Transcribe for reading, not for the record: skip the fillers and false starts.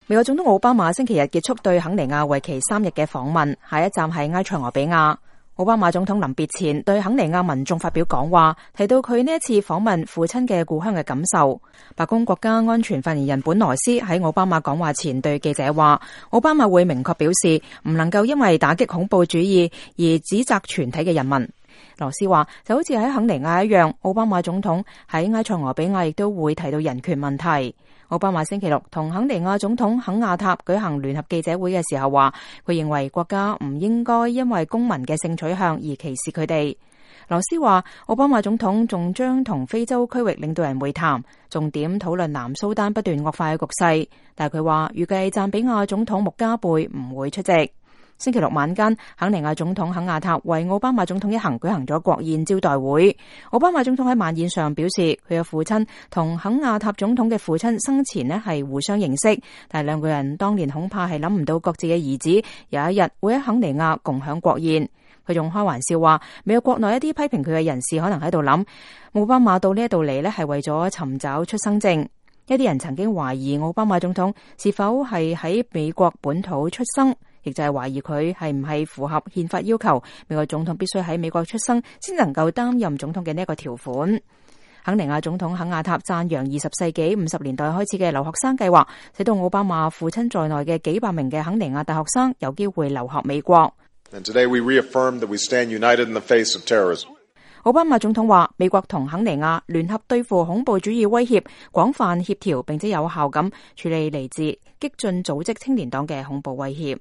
美國總統奧巴馬星期日結束對肯尼亞為期3日嘅訪問，下一站係埃塞俄比亞。奧巴馬總統臨別前對肯尼亞民眾發表講話，提到佢呢一次訪問父親嘅故鄉嘅感受。白宮國家安全發言人本羅斯喺奧巴馬講話前對記者話，奧巴馬會明確表示唔能夠因為打擊恐怖主義而指責全體嘅人民。羅斯話，就好似喺肯尼亞一樣，奧巴馬總統喺埃塞俄比亞亦都會提到人權問題。奧巴馬星期六同肯尼亞總統肯亞塔舉行聯合記者會嘅時候話，佢認為國家唔應該因為公民嘅性取向而歧視佢哋。羅斯話，奧巴馬總統仲將同非洲區域領導人會談，重點討論南蘇丹不斷惡化嘅局勢，但係佢話預計贊比亞總統穆加貝唔會出席。星期六晚間，肯尼亞總統肯亞塔為奧巴馬總統一行舉行咗國宴招待會。奧巴馬總統喺晚宴上表示，佢嘅父親同肯亞塔總統嘅父親生前呢係互相認識，但係兩個人當年恐怕係諗唔到各自嘅兒子有一日會喺肯尼亞共享國宴。佢仲開玩笑話，美國國內一啲批評佢嘅人士可能喺度諗，奧巴馬到呢一度嚟呢係為咗尋找出生證。一啲人曾經懷疑奧巴馬總統是否係喺美國本土出生，亦就係懷疑佢係唔係符合憲法要求，美國總統必須喺美國出生先能夠擔任總統嘅呢一個條款。肯尼亞總統肯亞塔讚揚20世紀50年代開始嘅留學生計劃，使到奧巴馬父親在內嘅幾百名嘅肯尼亞大學生有機會留學美國。And today we reaffirm that we stand united in the face of terrorism. 奧巴馬總統話，美國同肯尼亞聯合對付恐怖主義威脅，廣泛協調並且有效咁處理嚟自激進組織青年黨嘅恐怖威脅。